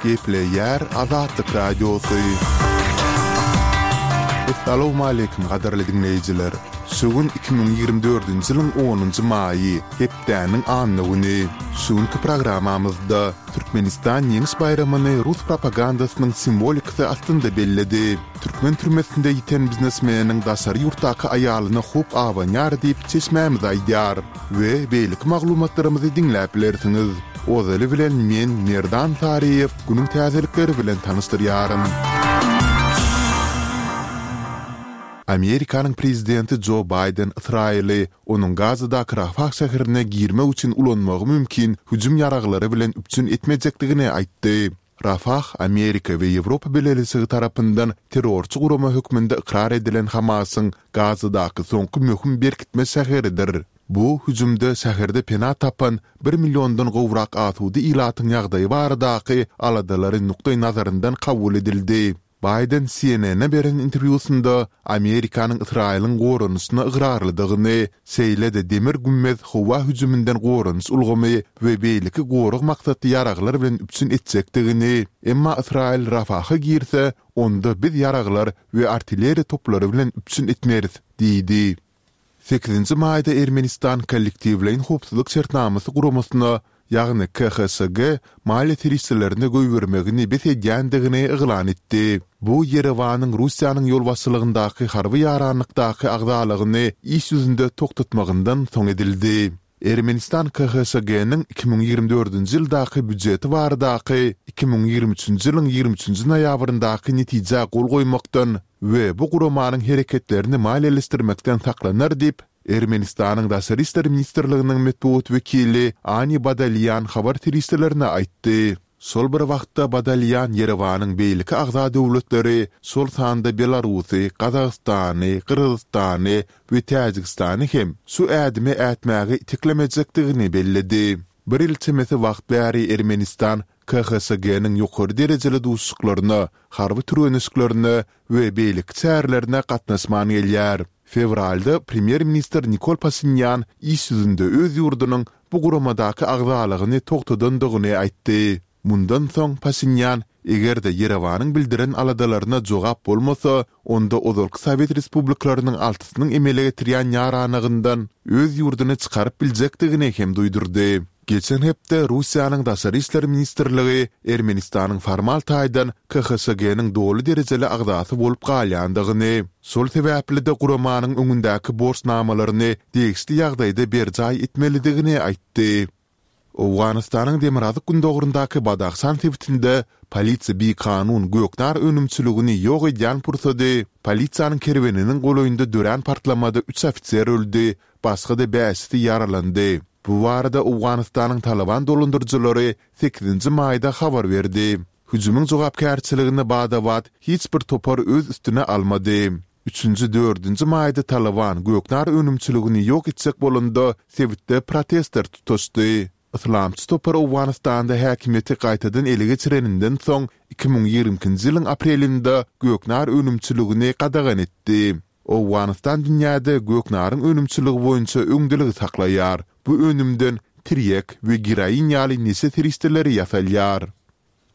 Gepleýär Azatlyk Radiosy. Essalawmaleýkim gadyrly diňleýjiler! Şu gün 2024-nji ýylyň onunjy maýy, hepdäniň anna güni. Şu günki programmamyzda Türkmenistan Ýeňiş baýramyny rus propagandasynyň simwolikasy astynda belledi. Türkmen türmesinde ýiten biznesmeniň daşary ýurtdaky aýalyna howp abanýar diýip çeşmämiz aýdýar. We beýleki maglumatlarymyzy diňläp bilersiňiz. Ozaly bilen men Merdan Saryýew günüň täzelikleri bilen tanyşdyrýaryn. Amerikanyň prezidenti Jo Baýden Ysraýyly onuň Gazadaky Rafah şäherine girmek üçin ulanmagy mümkin hüjüm ýaraglary bilen üpjün etmejekdigini aýtdy. Rafah Amerika we Ýewropa Bileleşigi tarapyndan terrorçy gurama hökmünde ykrar edilen Hamasyň Gazadaky soňky möhüm berkitme şäheridir. Bu hüjümde şäherde pena tapan bir milliondan gowrak asuda ilatyň ýagdaýy baradaky aladalary nukdaýnazaryndan kabul edildi. Baýden CNN-e beren interwýusynda Amerikanyň Ysraýylyň goranyşyna ygrarlydygyny, şeýle-de Demir gümmez howa hüjüminden goranyş ulgamy we beýleki gorag maksatly ýaraglar bilen üpjün etjekdigini, emma Ysraýyl Rafaha girse, onda biz ýaraglar we artilleriýa toplary bilen üpjün etmeris diýdi. Sekizinji maýda Ermenistan Kollektiwleýin howpsuzlyk şertnamasy guramasyna, ýagny KHŞG maliýe serişdelerini goýbermegini bes edýändigini yglan etdi. Bu Ýerewanyň Russiýanyň ýolbaşçylygyndaky harby ýaranlykdaky agzalygyny iş ýüzünde togtatmagyndan soň edildi. Ermenistan KHŞG-niň 2024-nji ýyldaky býujeti baradaky 2023-nji ýylyň 23-nji noýabryndaky netijä gol goýmakdan we bu guramanyň hereketlerini maliýeleşdirmekden saklanar diýip, Ermenistanyň Daşary işler ministrliginiň metbugat wekili Ani Badalýan habar serişdelerine aýtdy. Şol bir wagtda Badalýan Ýerewanyň beýleki agza döwletleri, şol sanda Belarusy, Gazagystany, Gyrgyzystany we Täjigistany hem şu ädimi ätmäge iteklemejekdigini belledi. Bir ýyl çemesi wagt bäri Ermenistan KHŞG-niň ýokary derejeli duşuşyklaryna, harby türgenleşiklerine we beýleki çärelerine gatnaşman gelýär. Fewralda premýer-ministr Nikol Paşinýan iş ýüzünde öz ýurdunyň bu guramadaky agzalygyny togtadandygyny aýtdy. Mundan soň Paşinýan, eger-de Ýerewanyň bildiren aladalaryna jogap bolmasa, onda ozalky sowet respublikalarynyň altysynyň emele getirýän ýaranlygyndan öz ýurduny çykaryp biljekdigini hem duýdurdy. Geçen hepde Russiýanyň Daşary işler ministrligi Ermenistanyň formal taýdan KHŞG-niň doly derejeli agzasy bolup galýandygyny, şol sebäpli-de guramanyň öňündäki borçnamalaryny degişli ýagdaýda berjaý etmelidigini aýtdy. Owganystanyň demirgazyk-gündogaryndaky Badahşan sebitinde polisiýa bikanun göknar önümçiligini ýok edýän pursady polisiýanyň kerweniniň golaýynda dörän partlamada üç ofiser öldi, başga-da bäşisi ýaralandy. Bu barada Owganystanyň Talyban dolandyryjylary sekizinji maýda habar berdi. Hüjümiň jogapkärçiligini bada-bat hiç bir topar öz üstüne almady. Üçünji, dördünji maýda Talyban göknar önümçiligini ýok etjek bolanda sebitde protestler tutaşdy. Yslamçy topar Owganystanda häkimiýeti gaýtadan ele geçireninden soň 2022-nji ýylyň aprelinde göknar önümçiligini gadagan etdi. Owganystan dünýäde göknaryň önümçiligi boýunça öňdeligi saklaýar. Bu önümden tirýek we geroin ýaly neşe serişdeleri ýasalýar.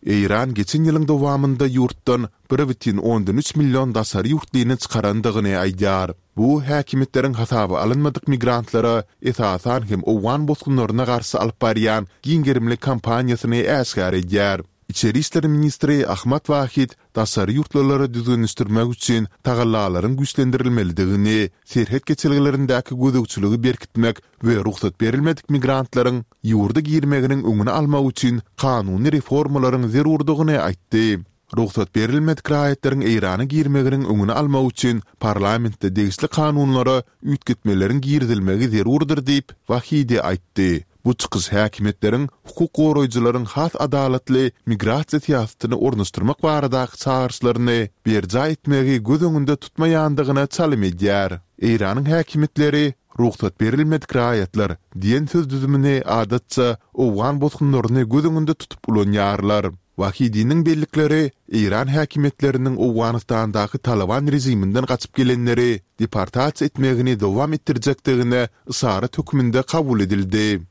Eýran geçen ýylyň dowamynda ýurtdan 1,3 million daşary ýurtlyny çykarandygyny aýdýar. Bu, häkimiýetleriň hasaba alynmadyk migrantlara, esasan hem owgan bosgunlaryna garşy alyp barýan giň gerimli kampaniýasyny äşgär edýär. Içeri işler ministri Ahmad Wahid daşary ýurtlulary düzgünleşdirmek üçin tagallalaryň güýçlendirilmelidigini, serhet geçelgelerindäki gözegçiligi berkitmek we rugsat berilmedik migrantlaryň ýurda girmeginiň öňüni almak üçin kanuny reformalaryň zerurdygyny aýtdy. Rugsat berilmedik raýatlaryň Eýrana girmeginiň öňüni almak üçin parlamentde degişli kanunlara üýtgetmeleriň girizilmegi zerurdyr diýip, Wahidi aýtdy. Bu çykyş häkimiýetleriň hukuk goraýjylaryň has adalatly migrasiýa syýasatyny ornaşdyrmak baradaky çagyryşlaryny berjaý etmegi göz öňünde tutmaýandygyna çalym edýär. Eýranyň häkimiýetleri rugsat berilmedik raýatlar diýen söz düzümini adatça owgan bosgunlaryny göz öňünde tutup ulanýarlar. Wahidiniň bellikleri eýran häkimiýetleriniň Owganystandaky Talyban režiminden gaçyp gelenleri deportasiýa etmegini dowam etdirjekdigine yşarat hökmünde kabul edildi.